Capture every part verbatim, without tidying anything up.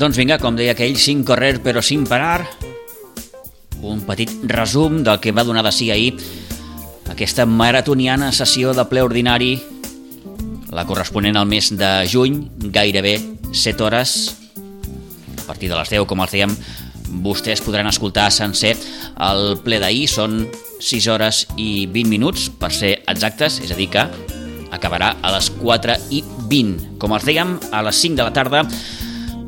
Doncs vinga, com deia aquell, sin correr però sin parar, un petit resum del que va donar de si ahir aquesta maratoniana sessió de ple ordinari, la corresponent al mes de juny, gairebé set hores. A partir de les deu, com els dèiem, vostès podran escoltar sencer el ple d'ahir. Són sis hores i vint minuts, per ser exactes, és a dir que acabarà a les quatre i vint. Com els dèiem, a les cinc de la tarda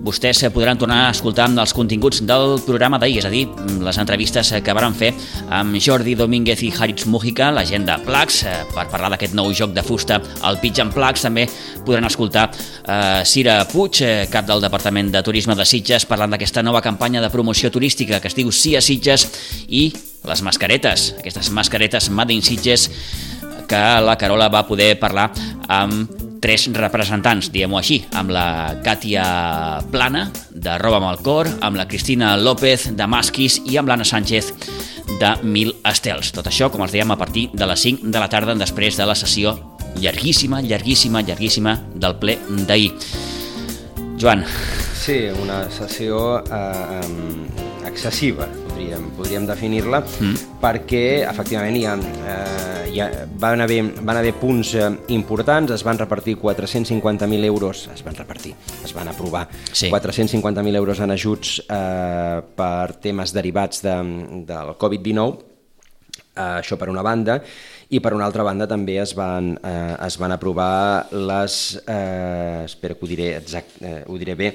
vostès podran tornar a escoltar els continguts del programa d'ahir, és a dir, les entrevistes que varen fer amb Jordi Domínguez i Haritz Mújica, la gent de Plax, per parlar d'aquest nou joc de fusta, el Pitch and Plax. També podran escoltar eh, Cira Puig, cap del Departament de Turisme de Sitges, parlant d'aquesta nova campanya de promoció turística que es diu Sí a Sitges, i les mascaretes, aquestes mascaretes Made in Sitges, que la Carola va poder parlar amb tres representants, diguem-ho així, amb la Càtia Plana, de Roba amb el Cor, amb la Cristina López, de Masquis, i amb l'Anna Sánchez, de Mil Estels. Tot això, com els dèiem, a partir de les cinc de la tarda, després de la sessió llarguíssima, llarguíssima, llarguíssima del ple d'ahir. Joan. Sí, una sessió eh, excessiva, podríem, podríem definir-la, mm. perquè efectivament hi ha, eh, hi ha, van, haver, van haver punts eh, importants. Es van repartir quatre-cents cinquanta mil euros, es van repartir, es van aprovar sí. quatre-cents cinquanta mil euros en ajuts eh, per temes derivats de, del covid dinou, eh, això per una banda, i per una altra banda també es van, eh, es van aprovar les, eh, espero que ho diré, exact, eh, ho diré bé,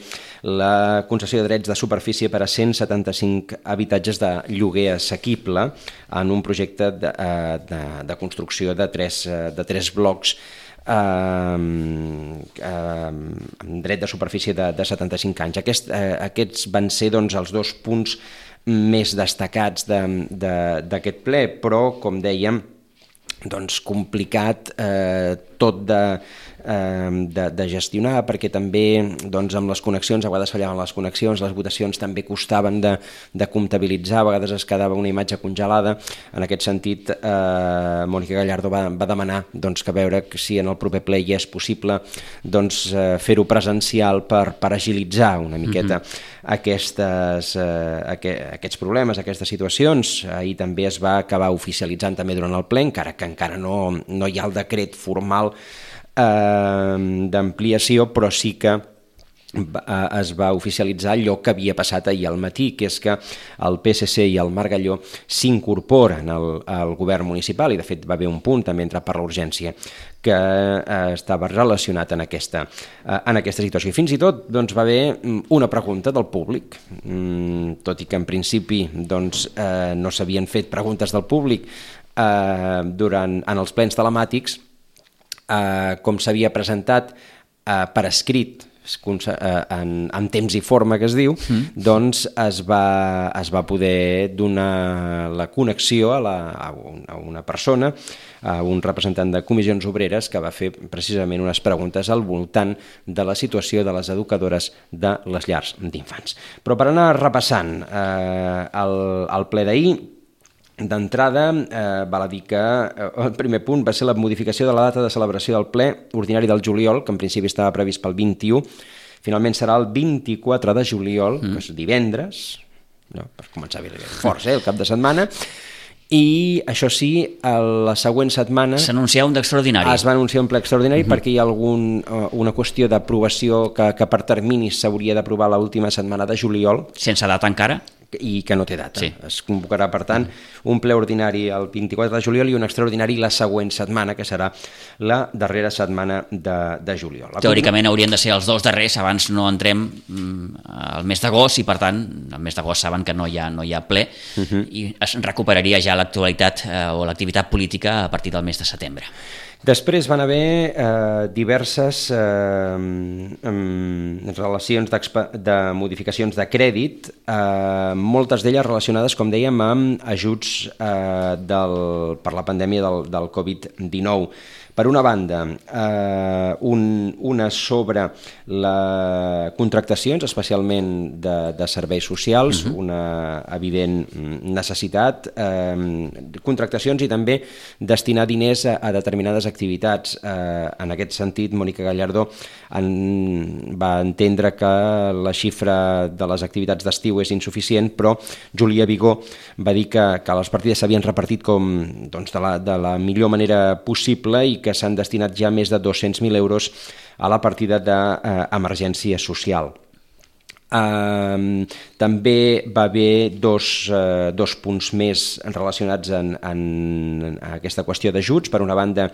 la concessió de drets de superfície per a cent setanta-cinc habitatges de lloguer assequible en un projecte de, eh, de, de construcció de tres, de tres blocs eh, eh, amb dret de superfície de, de setanta-cinc anys. Aquest, eh, aquests van ser doncs, els dos punts més destacats d'aquest de, de, ple, però, com dèiem, doncs complicat eh, tot de, eh, de, de gestionar, perquè també doncs, amb les connexions, a vegades fallaven les connexions, les votacions també costaven de, de comptabilitzar, a vegades es quedava una imatge congelada. En aquest sentit, eh, Mònica Gallardo va, va demanar doncs, que veure si en el proper ple ja és possible doncs, eh, fer-ho presencial per, per agilitzar una miqueta mm-hmm. aquestes, eh, aqu aquests problemes, aquestes situacions. Ahir també es va acabar oficialitzant també durant el ple, encara que encara no, no hi ha el decret formal eh, d'ampliació, però sí que es va oficialitzar allò que havia passat ahir al matí, que és que el P S C i el Margalló s'incorporen al, al govern municipal, i de fet va haver un punt també entrat per l'urgència que eh, estava relacionat en aquesta, eh, en aquesta situació. I fins i tot doncs, va haver una pregunta del públic, mm, tot i que en principi doncs, eh, no s'havien fet preguntes del públic eh, durant, en els plens telemàtics, eh, com s'havia presentat eh, per escrit, En, en temps i forma, que es diu, mm. doncs es va, es va poder donar la connexió a, la, a, un, a una persona, a un representant de Comissions Obreres, que va fer precisament unes preguntes al voltant de la situació de les educadores de les llars d'infants. Però per anar repassant eh, el, el ple d'ahir, d'entrada, eh, val a dir que eh, el primer punt va ser la modificació de la data de celebració del ple ordinari del juliol, que en principi estava previst pel vint-i-u, finalment serà el vint-i-quatre de juliol, mm. que és divendres, no, per començar bé forts, eh, el cap de setmana, i això sí, a la següent setmana s'anuncia un d'extraordinari. Es va anunciar un ple extraordinari uh-huh. perquè hi ha algun, uh, una qüestió d'aprovació que, que per terminis s'hauria d'aprovar l'última setmana de juliol. Sense data encara? I que no té data. Sí. Es convocarà, per tant, un ple ordinari el vint-i-quatre de juliol i un extraordinari la següent setmana, que serà la darrera setmana de, de juliol. Teòricament haurien de ser els dos darrers, abans no entrem al mes d'agost, i per tant, al mes d'agost saben que no hi ha, no hi ha ple, uh-huh. i es recuperaria ja l'actualitat eh, o l'activitat política a partir del mes de setembre. Després van haver eh, diverses eh, eh, relacions de modificacions de crèdit, eh, moltes d'elles relacionades, com dèiem, amb ajuts eh, del, per la pandèmia del, del covid dinou. Per una banda, eh, un, una sobre les contractacions, especialment de, de serveis socials, uh-huh. una evident necessitat, eh, contractacions i també destinar diners a, a determinades activitats. Eh, en aquest sentit, Mònica Gallardó en, va entendre que la xifra de les activitats d'estiu és insuficient, però Júlia Vigó va dir que, que les partides s'havien repartit com, doncs, de, la, de la millor manera possible i que s'han destinat ja més de dos-cents mil euros a la partida d'emergència eh, social. Uh, també va haver dos, uh, dos punts més relacionats en, en, en aquesta qüestió d'ajuts. Per una banda,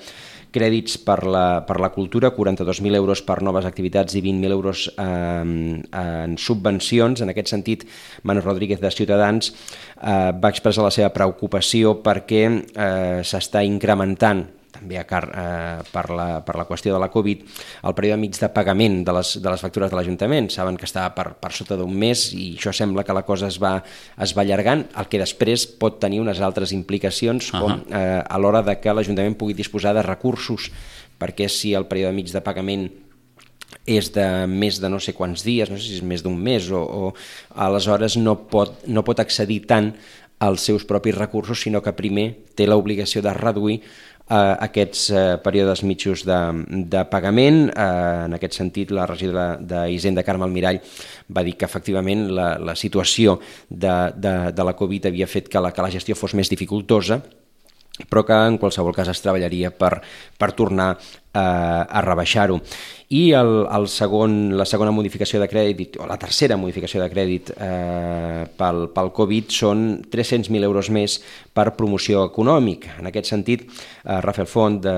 crèdits per la, per la cultura, quaranta-dos mil euros per noves activitats i vint mil euros eh, en subvencions. En aquest sentit, Manu Rodríguez de Ciutadans eh, va expressar la seva preocupació perquè eh, s'està incrementant també a car eh, per, la, per la qüestió de la Covid, el període mig de pagament de les, de les factures de l'Ajuntament. Saben que estava per, per sota d'un mes i això sembla que la cosa es va, es va allargant, el que després pot tenir unes altres implicacions, com uh-huh. eh, a l'hora de que l'Ajuntament pugui disposar de recursos, perquè si el període mig de pagament és de més de no sé quants dies, no sé si és més d'un mes, o, o aleshores no pot, no pot accedir tant als seus propis recursos, sinó que primer té l'obligació de reduir Uh, aquests uh, períodes mitjos de, de pagament. Uh, en aquest sentit, la regidora d'Hisenda, Carme Almirall, va dir que efectivament la, la situació de, de, de la Covid havia fet que la, que la gestió fos més dificultosa, però que en qualsevol cas es treballaria per, per tornar eh, a rebaixar-ho. I el, el segon, la segona modificació de crèdit, o la tercera modificació de crèdit eh, pel, pel Covid, són tres-cents mil euros més per promoció econòmica. En aquest sentit, eh, Rafael Font, de,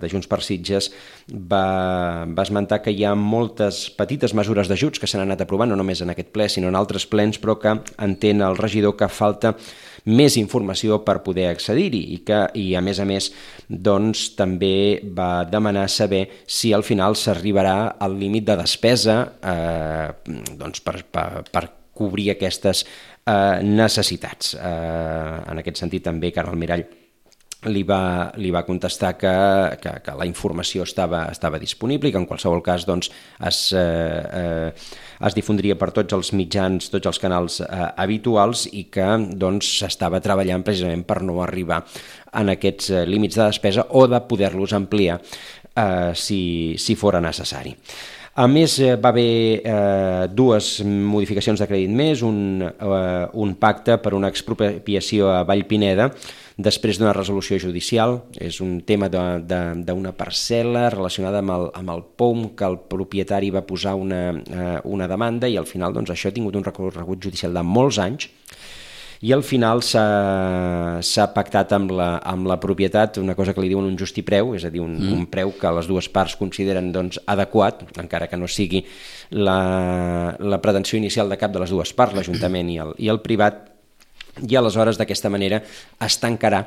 de Junts per Sitges, va, va esmentar que hi ha moltes petites mesures d'ajuts que s'han anat aprovant, no només en aquest ple, sinó en altres plens, però que entén el regidor que falta més informació per poder accedir-hi i que, i a més a més, doncs, també va demanar saber si al final s'arribarà al límit de despesa eh, doncs per, per, per cobrir aquestes eh, necessitats. Eh, en aquest sentit també Carme Almirall li va, li va contestar que, que, que la informació estava, estava disponible i que en qualsevol cas doncs, es, eh, eh, es difondria per tots els mitjans, tots els canals eh, habituals i que doncs, s'estava treballant precisament per no arribar en aquests eh, límits de despesa o de poder-los ampliar eh, si, si fora necessari. A més, va haver eh, dues modificacions de crèdit més, un, eh, un pacte per una expropiació a Vallpineda després d'una resolució judicial. És un tema d'una parcel·la relacionada amb el, amb el P O M, que el propietari va posar una, eh, una demanda i al final doncs, això ha tingut un recorregut judicial de molts anys i al final s'ha pactat amb la, amb la propietat una cosa que li diuen un justipreu, és a dir, un, mm. un preu que les dues parts consideren doncs, adequat, encara que no sigui la, la pretensió inicial de cap de les dues parts, l'Ajuntament i el, i el privat, i aleshores d'aquesta manera es tancarà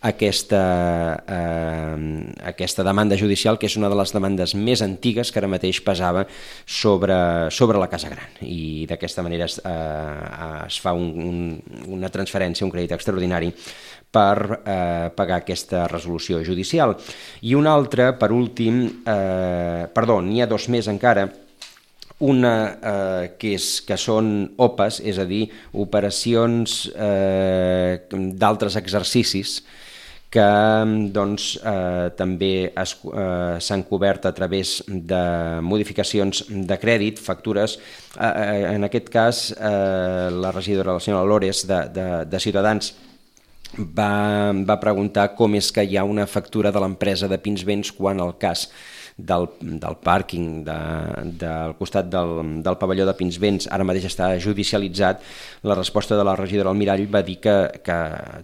aquesta, eh, aquesta demanda judicial, que és una de les demandes més antigues que ara mateix pesava sobre, sobre la Casa Gran, i d'aquesta manera es, eh, es fa un, un, una transferència, un crèdit extraordinari per eh, pagar aquesta resolució judicial. I una altra, per últim, eh, perdó, n'hi ha dos més encara, una eh, que, és, que són O P As, és a dir, operacions eh, d'altres exercicis que doncs, eh, també eh, s'han cobert a través de modificacions de crèdit, factures. Eh, en aquest cas, eh, la regidora, la senyora Lores, de, de, de Ciutadans, va, va preguntar com és que hi ha una factura de l'empresa de Pinsbens quan el cas Del, del pàrquing de, del costat del, del pavelló de Pinsbens ara mateix està judicialitzat. La resposta de la regidora Almirall va dir que, que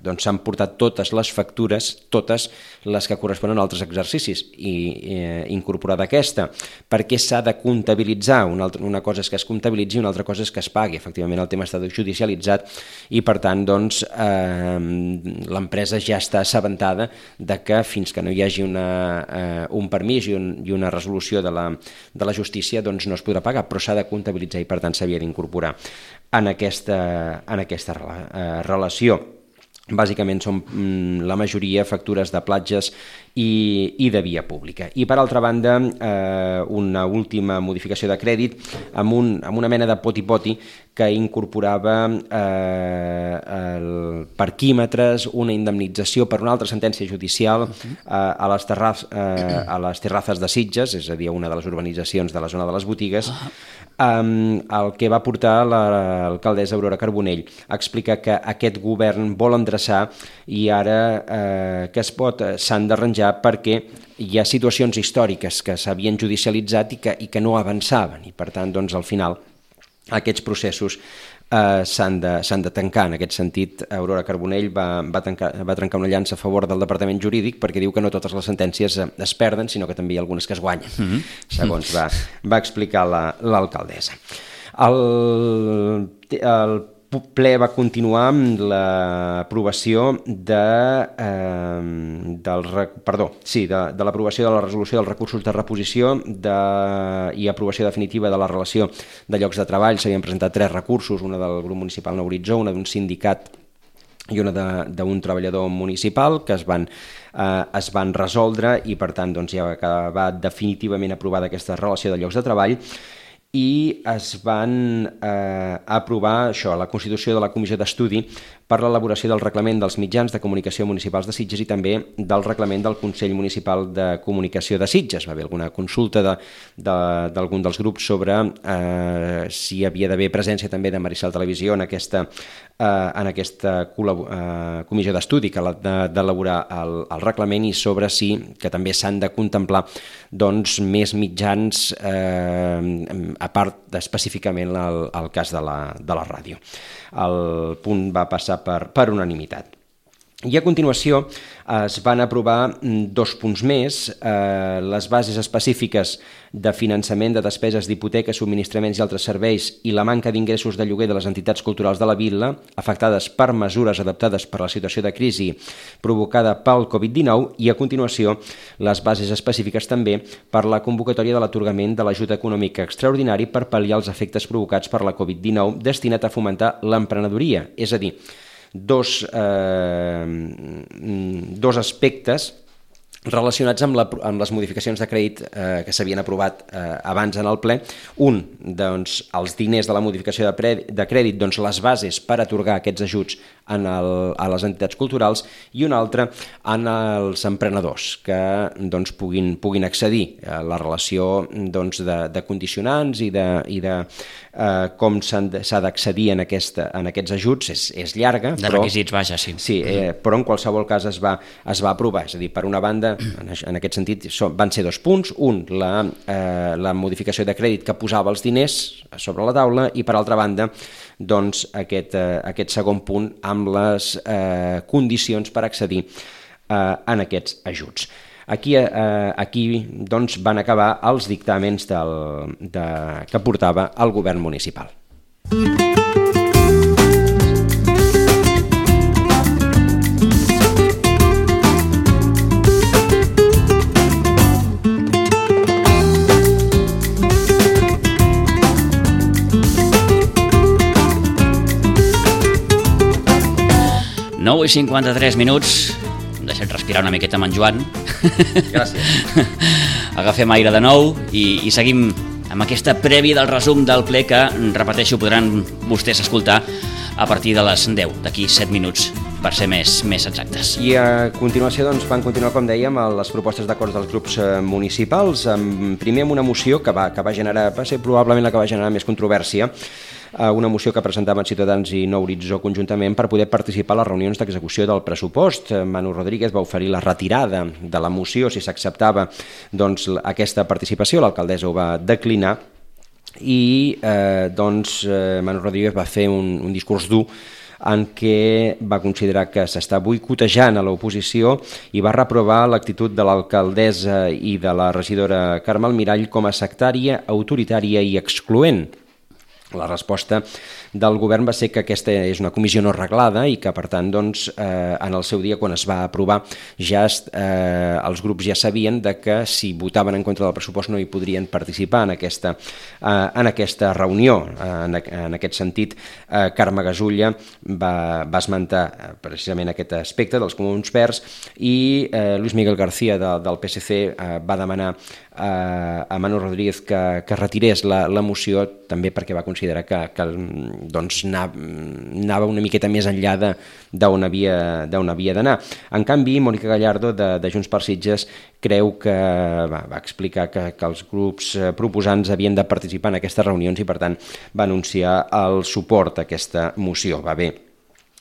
doncs, s'han portat totes les factures, totes les que corresponen a altres exercicis, i eh, incorporada aquesta, perquè s'ha de comptabilitzar. Una, altra, una cosa és que es comptabilitzi i una altra cosa és que es pagui. Efectivament, el tema està judicialitzat i, per tant, doncs, eh, l'empresa ja està assabentada de que fins que no hi hagi una, eh, un permís i un i una resolució de la, de la justícia doncs no es podrà pagar, però s'ha de comptabilitzar i per tant s'havia d'incorporar en aquesta, en aquesta eh, relació. bàsicament són la majoria factures de platges i, i de via pública. I per altra banda, eh, una última modificació de crèdit amb, un, amb una mena de poti-poti que incorporava eh, el parquímetres, una indemnització per una altra sentència judicial eh, a, les terraz, eh, a les terrazes de Sitges, és a dir, una de les urbanitzacions de la zona de les botigues, Um, el que va portar l'alcaldessa Aurora Carbonell a explicar que aquest govern vol endreçar i ara eh, que es pot s'han d'arranjar perquè hi ha situacions històriques que s'havien judicialitzat i que, i que no avançaven i per tant doncs al final aquests processos Uh, s'han de, s'han de tancar. En aquest sentit, Aurora Carbonell va, va, tancar, va trencar una llança a favor del Departament Jurídic perquè diu que no totes les sentències es perden, sinó que també hi ha algunes que es guanyen, mm-hmm. segons va, va explicar la, l'alcaldessa. El, el ple va continuar amb l'aprovació de, eh, del, perdó, sí, de, de l'aprovació de la resolució dels recursos de reposició de, i aprovació definitiva de la relació de llocs de treball. S'havien presentat tres recursos, una del grup municipal Nou Horitzó, una d'un sindicat i una d'un treballador municipal que es van, eh, es van resoldre i per tant doncs, ja va acabar definitivament aprovada aquesta relació de llocs de treball i es van eh, aprovar això, la constitució de la Comissió d'Estudi per l'elaboració del reglament dels mitjans de comunicació municipals de Sitges i també del reglament del Consell Municipal de Comunicació de Sitges. Va haver alguna consulta de, de, d'algun dels grups sobre eh, si hi havia d'haver presència també de Maricel Televisió en aquesta, eh, en aquesta col·labo- eh, comissió d'estudi que ha d'elaborar el, el reglament i sobre si que també s'han de contemplar doncs, més mitjans eh, a part específicament el, el cas de la, de la ràdio. El punt va passar per, per unanimitat. I a continuació es van aprovar dos punts més, eh, les bases específiques de finançament de despeses d'hipoteques, subministraments i altres serveis i la manca d'ingressos de lloguer de les entitats culturals de la vila afectades per mesures adaptades per la situació de crisi provocada pel covid dinou i a continuació les bases específiques també per la convocatòria de l'atorgament de l'ajut econòmic extraordinari per pal·liar els efectes provocats per la covid dinou destinat a fomentar l'emprenedoria, és a dir, Dos, eh, dos aspectes relacionats amb, la, amb les modificacions de crèdit eh, que s'havien aprovat eh, abans en el ple. Un, doncs, els diners de la modificació de, pre, de crèdit, doncs, les bases per atorgar aquests ajuts en el, a les entitats culturals i un altre en els emprenedors que doncs, puguin, puguin accedir a la relació doncs, de, de condicionants i de, i de eh, com s'ha d'accedir en, aquesta, en aquests ajuts és, és llarga. De però, requisits, vaja, sí. Sí, eh, però en qualsevol cas es va, es va aprovar. És a dir, per una banda, en, en aquest sentit, van ser dos punts. Un, la, eh, la modificació de crèdit que posava els diners sobre la taula i per altra banda, doncs, aquest, eh, aquest segon punt amb les eh, condicions per accedir eh, en aquests ajuts. Aquí, eh, aquí doncs, van acabar els dictàmens del, de, que portava el govern municipal. nou i cinquanta-tres minuts. Deixa't respirar una miqueta amb en Joan. Gràcies. Agafem aire de nou i, i seguim amb aquesta prèvia del resum del ple que, repeteixo, podran vostès escoltar a partir de les deu, d'aquí set minuts, per ser més, més exactes. I a continuació doncs, van continuar, com dèiem, les propostes d'acords dels grups municipals. Primer amb una moció que va, que va generar, va ser probablement la que va generar més controvèrsia, una moció que presentaven Ciutadans i Nou Horitzó conjuntament per poder participar a les reunions d'execució del pressupost. Manu Rodríguez va oferir la retirada de la moció si s'acceptava doncs, aquesta participació, l'alcaldessa ho va declinar i eh, doncs, eh, Manu Rodríguez va fer un, un discurs dur en què va considerar que s'està boicotejant a l'oposició i va reprovar l'actitud de l'alcaldessa i de la regidora Carme Almirall com a sectària, autoritària i excloent. La resposta del govern va ser que aquesta és una comissió no reglada i que, per tant, doncs, eh, en el seu dia, quan es va aprovar, ja eh, els grups ja sabien de que si votaven en contra del pressupost no hi podrien participar en aquesta, eh, en aquesta reunió. Eh, en, en aquest sentit, eh, Carme Gasulla va, va esmentar eh, precisament aquest aspecte dels Comuns Verds i eh, Luis Miguel García de, del P S C eh, va demanar eh, a Manu Rodríguez que, que retirés la, la moció, també perquè va considerar que, que doncs, anava una miqueta més enllà d'on havia, d'on havia d'anar. En canvi, Mònica Gallardo, de, de Junts per Sitges, creu que va, va explicar que, que els grups proposants havien de participar en aquestes reunions i, per tant, va anunciar el suport a aquesta moció. Va bé.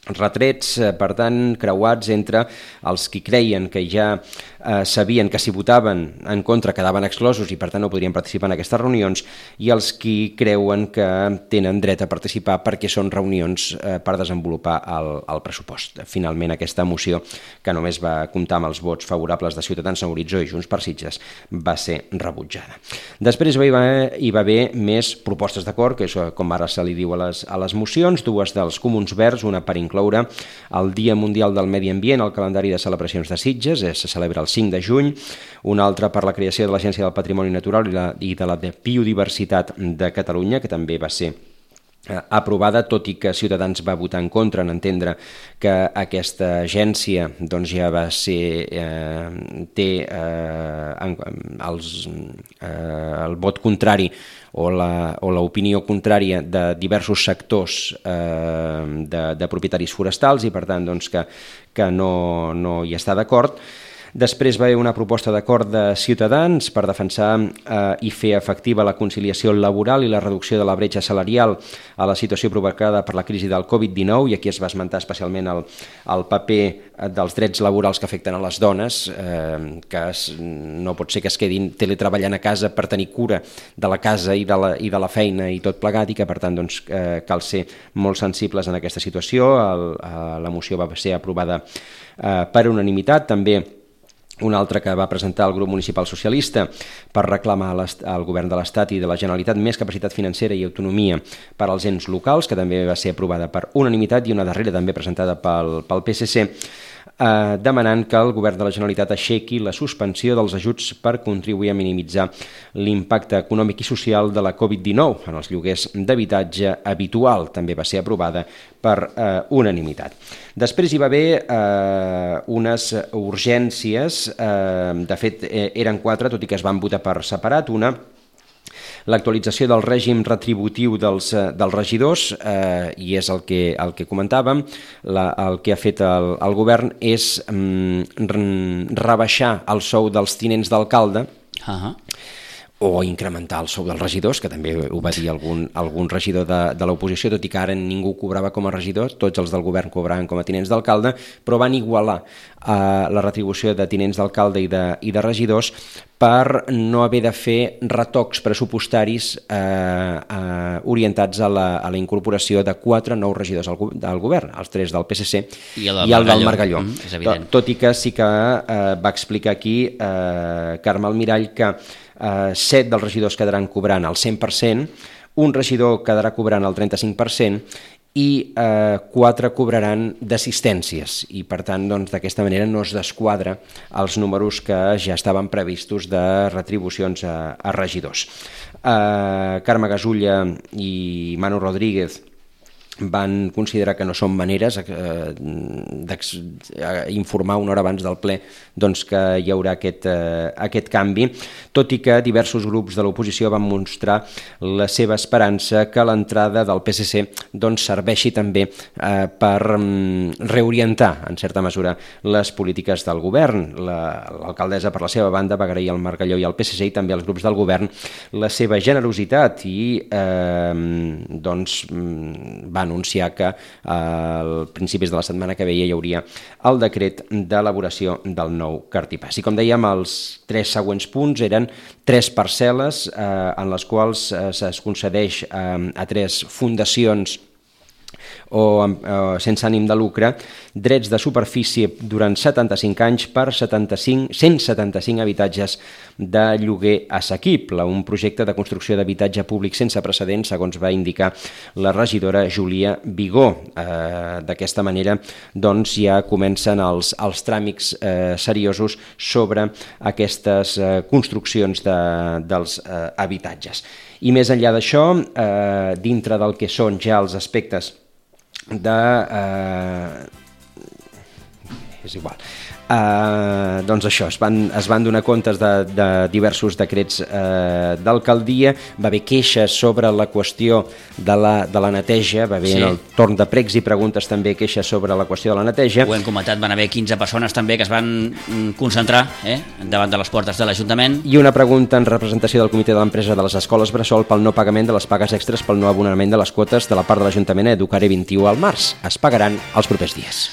Retrets, per tant, creuats entre els qui creien que ja eh, sabien que si votaven en contra quedaven exclosos i per tant no podrien participar en aquestes reunions, i els qui creuen que tenen dret a participar perquè són reunions eh, per desenvolupar el, el pressupost. Finalment, aquesta moció, que només va comptar amb els vots favorables de Ciutadans en Horitzó i Junts per Sitges, va ser rebutjada. Després hi va, hi va haver més propostes d'acord, que és com ara se li diu a les, a les mocions, dues dels Comuns Verds, una per incloure el Dia Mundial del Medi Ambient al calendari de celebracions de Sitges, se celebra el cinc de juny, una altra per la creació de l'Agència del Patrimoni Natural i, la, i de la Biodiversitat de Catalunya, que també va ser aprovada, tot i que Ciutadans va votar en contra en entendre que aquesta agència doncs, ja va ser eh, té eh, els, eh, el vot contrari o l'opinió contrària de diversos sectors eh, de, de propietaris forestals i per tant doncs, que, que no, no hi està d'acord. Després va haver una proposta d'acord de Ciutadans per defensar eh, i fer efectiva la conciliació laboral i la reducció de la bretxa salarial a la situació provocada per la crisi del covid dinou, i aquí es va esmentar especialment el, el paper dels drets laborals que afecten a les dones, eh, que es, no pot ser que es quedin teletreballant a casa per tenir cura de la casa i de la, i de la feina i tot plegat, i que per tant doncs, eh, cal ser molt sensibles en aquesta situació. El, eh, la moció va ser aprovada eh, per unanimitat. També una altra que va presentar el grup municipal socialista per reclamar al govern de l'Estat i de la Generalitat més capacitat financera i autonomia per als ens locals, que també va ser aprovada per unanimitat, i una darrera també presentada pel, pel P S C, eh, demanant que el govern de la Generalitat aixequi la suspensió dels ajuts per contribuir a minimitzar l'impacte econòmic i social de la covid dinou en els lloguers d'habitatge habitual. També va ser aprovada per eh, unanimitat. Després hi va haver eh, unes urgències, eh, de fet eh, eren quatre, tot i que es van votar per separat. Una, l'actualització del règim retributiu dels, dels regidors, eh, i és el que, el que comentàvem, la, el que ha fet el, el govern és mm, rebaixar el sou dels tinents d'alcalde, uh-huh. o incrementar el sou dels regidors, que també ho va dir algun, algun regidor de, de l'oposició, tot i que ara ningú cobrava com a regidor, tots els del govern cobraven com a tinents d'alcalde, però van igualar eh, la retribució de tinents d'alcalde i, de, i de regidors per no haver de fer retocs pressupostaris eh, eh, orientats a la, a la incorporació de quatre nous regidors al, del govern, els tres del P S C i el, i el del Margalló. Mm, és evident. Tot, tot i que sí que eh, va explicar aquí eh, Carme Almirall que eh, set dels regidors quedaran cobrant el cent per cent, un regidor quedarà cobrant el trenta-cinc per cent i eh, quatre cobraran d'assistències, i per tant doncs, d'aquesta manera no es desquadra els números que ja estaven previstos de retribucions a, a regidors. Eh, Carme Gasulla i Manu Rodríguez van considerar que no són maneres eh, d'informar una hora abans del ple doncs, que hi haurà aquest, eh, aquest canvi, tot i que diversos grups de l'oposició van mostrar la seva esperança que l'entrada del P S C doncs, serveixi també eh, per mm, reorientar, en certa mesura, les polítiques del govern. L'alcaldessa, per la seva banda, va agrair al Margalló i al P S C i també als grups del govern la seva generositat i eh, doncs, van anunciar que eh, als principis de la setmana que ve hi hauria el decret d'elaboració del nou cartipàs. I com dèiem, els tres següents punts eren tres parcel·les eh, en les quals eh, es concedeix eh, a tres fundacions o, o sense ànim de lucre, drets de superfície durant setanta-cinc anys per setanta-cinc, cent setanta-cinc habitatges de lloguer assequible, un projecte de construcció d'habitatge públic sense precedents, segons va indicar la regidora Júlia Vigó. Eh, d'aquesta manera, doncs, ja comencen els, els tràmits eh, seriosos sobre aquestes eh, construccions de, dels eh, habitatges. I més enllà d'això, eh, dintre del que són ja els aspectes de... Eh, és igual. Uh, doncs això, es van, es van donar comptes de, de diversos decrets uh, d'alcaldia, va haver queixes sobre la qüestió de la, de la neteja, va haver sí. en el torn de pregs i preguntes també queixes sobre la qüestió de la neteja. Ho hem comentat, van haver quinze persones també que es van concentrar eh, davant de les portes de l'Ajuntament. I una pregunta en representació del comitè de l'empresa de les escoles bressol pel no pagament de les pagues extres pel no abonament de les quotes de la part de l'Ajuntament a Educare vint i u al març. Es pagaran els propers dies.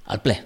Al ple.